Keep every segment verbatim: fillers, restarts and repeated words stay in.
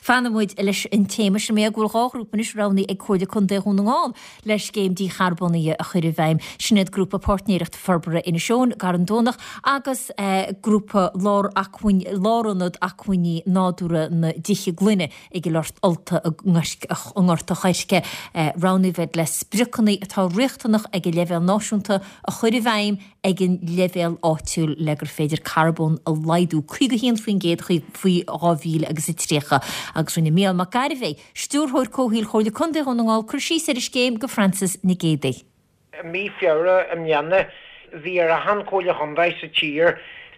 Fanfaidh muid leis an téama sin mé go bhfuil dhá ghrúpa anois roghnaithe ag Comhairle Contae Dhún na nGall le scéim dícharbónaithe a chur i bhfeidhm. Sin iad grúpa páirtnéireacht forbartha Inis Eoghain Garrán Domhnach agus eh, grúpa lár acmhainn lárionad acmhainní nádúrtha na dTithe Gloine i gCill Ulta i nGort an Choirce eh, roghnaithe le spriocanna atá riachtanach ag an leibhéal náisiúnta a chur i bhfeidhm ag an leibhéal áitiúil le gur féidir carbón a laghdú caoga haon faoin gcéad faoi dhá mhíle agus a tríocha agus rinne Mícheál Mac Gairbhé, Stiúrthóir Comhshaoil Chomhairle Contae Dhún na nGall cur síos ar an scéim go Francis Nic Géadaigh. Mí Feabhra i mbliana bhí ar achan chomhairle chontae sa tír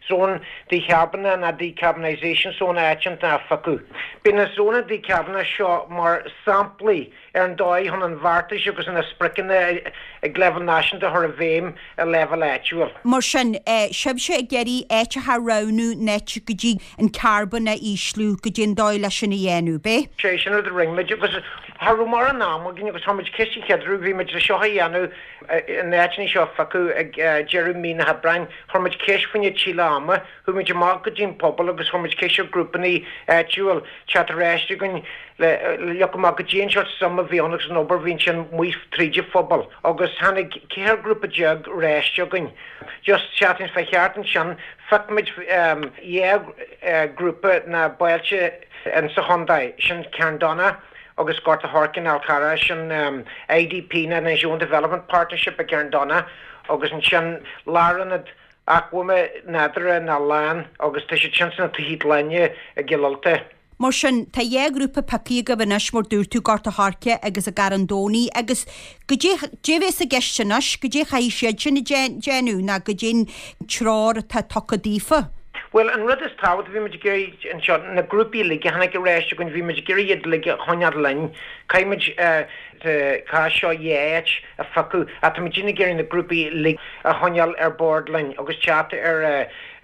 zón dícharbónaithe ná decarbonisation zone áiteanta a phiocadh. Bíonn na zónna dícharbónaithe seo mar samplaí ar an dóigh chun an bheartais agus na spriocanna ag leibhéal náisiúnta a chur i bhfeidhm i leibhéal áitiúil. Mar sin sibhse ag iarraidh áiteacha a roghnú net go dtí an carbón a ísliú go dtí an dóigh leis sin a dhéanamh, bé? Sé sin rud a rinne muid agus cha raibh mórán ama againn agus tá muid ciste cheadrú bhí muid le seo a dhéanamh in áiteanna seo a phiocadh ag deireadh mí na hAibreáin, chuir muid ceist faoina tuilleadh ama, chuaigh muid amach go dtí an pobal agus chuir muid ceist ar grúpanna áitiúil teacht ar ais againn le leag amach go dtí an seo suim a bhí ann agus an obair bhíonn sin amuigh tríd an phobal agus tháinig ceithre grúpa déag ar ais againn. Just seachtain fá cheart ansin phioc muid dhá grúpa na bailte in sa chontae sin Carndonagh agus Gort an Choirce Fál Carrach sin IDP na Inishowen Development Partnership i gCarndonagh agus ansin lárionad acmhainní nádúrtha na LAN agus tá siad sin sna Tithe Gloine i gCill Ulta. Mar sin tá dhá ghrúpa pioctha agaibh anois mar dúirt tú Gort an Choirce agus i gCarn Domhnaigh agus goidé bhéas i gceist anois, goidé chaithfidh siad sin a déanamh ná goidé an treoir atá tugtha daofa. Well an rud is tábhachtaí bhí muid ag iarraidh anseo na grúpaí uilig a tháinig ar ais againn bhí muid ag iarraidh iad uilig a choinneáil linn. Caithfidh muid sa chás seo dhá áit a phiocadh ach tá muid ag iarraidh na grúpaí uilig a choinneáil ar bord linn agus teacht ar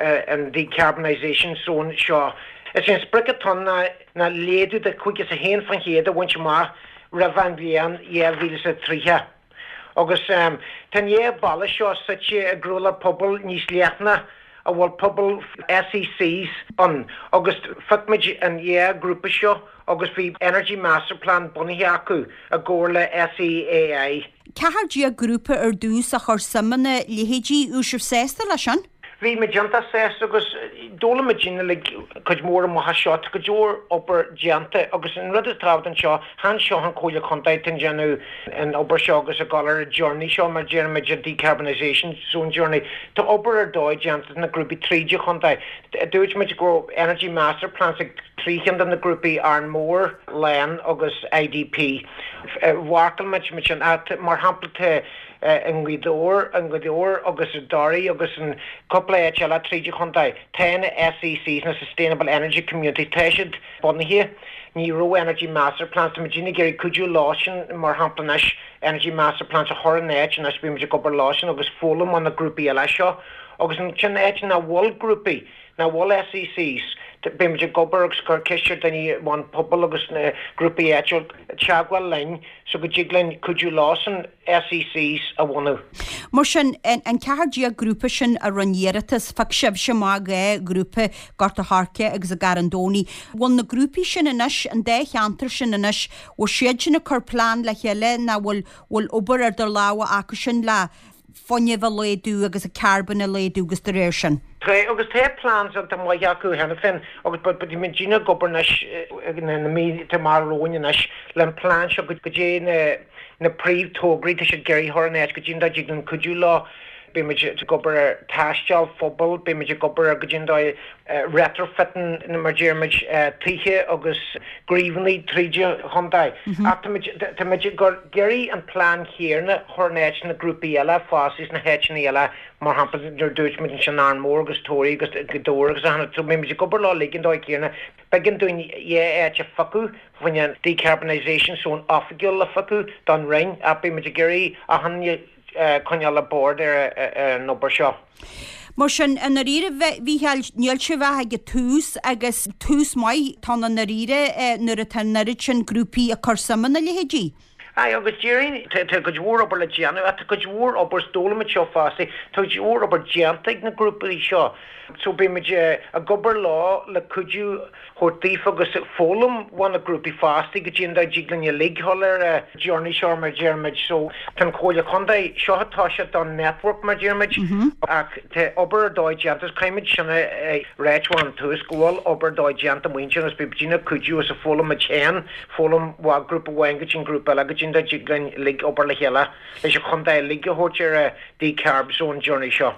an decarbonisation zone seo. Is é an sprioc atá ann ná ná laghdú de caoga is a haon faoin chéad a bhaint amach roimh an bhliain dhá mhíle is a tríocha. Agus tá an dhá bhaile seo suite i gcroílár pobal níos leithne a bhfuil pobal SECs ann agus phioc muid an dhá grúpa seo agus bhí Energy Master Plan bunaithe acu i gcomhar le SEAI. Ceathair déag grúpa ar dtús a chur suim ina leithéidí raibh sibh sásta leis sin? Bhí muid iontach sásta agus d'fhoghlaim muid uilig cuid mhór amach as seo, tá cuid mhór obair déanta agus an rud is tábhachtaí anseo, chan seo an Chomhairle Contae atá ag déanamh an obair seo agus ag dul ar an journey seo mar déarfaimid an decarbonisation zone journey. Tá obair ar dóigh déanta na grúpaí tríd an chontae. Dúirt muid go raibh Energy Master Plans ag trí cheann de na grúpaí Arranmore, LAN agus IDP. Mharcáil muid muid sin mar shampla tá i nGaoth Dobhair, i nGaoth Dobhair agus i dToraí agus in cúpla áit eile tríd an chontae. Tá na SECs na Sustainable Energy Communities tá siad bunaithe. Ní raibh Energy Master Plans tá muid ag iarraidh cuidiú leo sin mar shampla anois Energy Master Plans a chur in áit anois bíonn muid ag obair leo sin agus foghlaim ó na grúpaí eile seo agus ansin áit nach bhfuil grúpaí nach bhfuil SECs beidh muid ag obair agus cur ceist ar daoine an pobal agus na grúpaí áitiúil teagmháil linn so go dtig linn cuidiú leo san SECs a bhunú. Mar sin an ceathair déag grúpa sin a rinne iarratas phioc sibhse amach dhá ghrúpa Gort an Choirce agus i gCarn Domhnaigh. Bhfuil na grúpaí sin anois an dá cheantar sin anois, bhfuil siad sin ag cur plean le chéile ná bhfuil bhfuil obair ar idir lámha acu sin le fuinneamh a laghdú agus a carbón a laghdú agus de réir sin. Tá agus tá plans an maith acu cheana féin agus but muid ag obair anois na mí mar romhainn anois le an plean seo go dtí na na príomhthograí tá siad ag iarraidh a chur in áit go dtí an dtig linn cuidiú leo. Beidh muid ag obair ar tástáil phobail, beidh muid ag obair ar go dtí an dóigh retrofitting mar deir muid tithe agus gríomhanna tríd an chontae. Ach tá muid tá muid ag iarraidh an plean chéanna a chur in áit na grúpaí eile fosta sna háiteanna eile mar shampla nuair dúirt muid ansin Arranmore agus Toraigh agus Gaoth Dobhair agus achan so beidh muid ag obair leo uilig an dóigh chéanna. B'éigean dúinn dhá áit a phiocadh faoin decarbonisation zone oifigiúil a phiocadh don Roinn ach beidh muid ag iarraidh achan coinneáil le bord ar an obair seo. Mar sin i ndáiríre Mhícheáil níl sibh ach ag an tús agus tús maith tá i ndáiríre nuair atá an oiread sin grúpaí ag cur suim ina leithéidí. Aye, agus déarfainn tá cuid mhór obair le déanamh, tá cuid mhór obair d'fhoghlaim muid seo fosta, tá cuid mhór obair déanta ag na grúpaí seo. So beidh muid ag obair leo le cuidiú a thabhairt daofa agus foghlaim ó na grúpaí fosta go dtí an dá dtig linn uilig dhul ar an journey seo mar deir muid. So tá an Chomhairle Chontae, seo atá sé don network mar deir muid, ach tá obair ar dóigh déanta, is caithfidh muid sin a ráit ón tús go bhfuil obair ar dóigh déanta muintir agus beidh daoine ag cuidiú agus ag foghlaim muid féin, foghlaim ó ghrúpa amháin go dtí an grúpa eile go dtí an dá dtig linn uilig obair le chéile leis an chontae uilig a thabhairt ar an decarb zone journey seo.